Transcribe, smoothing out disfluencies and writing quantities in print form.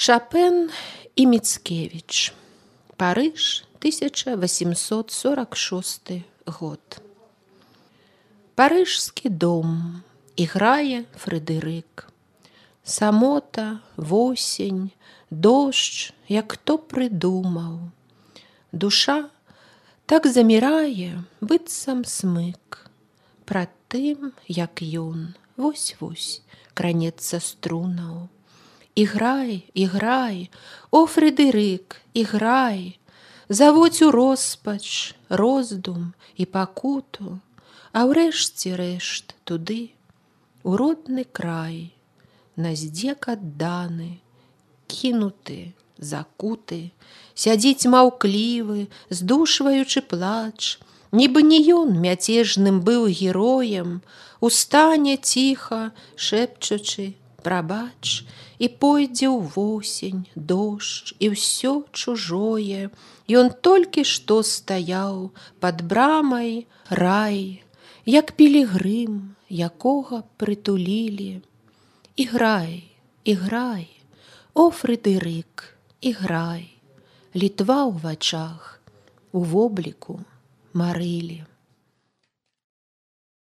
Шопен і Міцкевіч. Париж, 1846 год. Парижський дом, і грає Фредерик. Самота, восінь, дощ, як хто придумав. Душа так замірає, быццам смык. Прад тым, як ён, вось-вось, кранецца струнаў. Іграй, о, Фредерик, іграй, заводь у роспач, роздум і пакуту, а ўрэшце рэшт туды, у родны край, на здзек адданы, кінуты, закуты, сядзіць маўклівы, здушваючы плач, нібы не ён мяцежным быў героем, устане ціха, шэпчучы, прабач, і пойдзе ў восень, дождж, і ўсё чужое. Ён толькі што стаяў пад брамай рай, як пілігрым, якога прытулілі. Іграй, о, Фредерик, іграй, літва ў вачах, у вобліку марылі.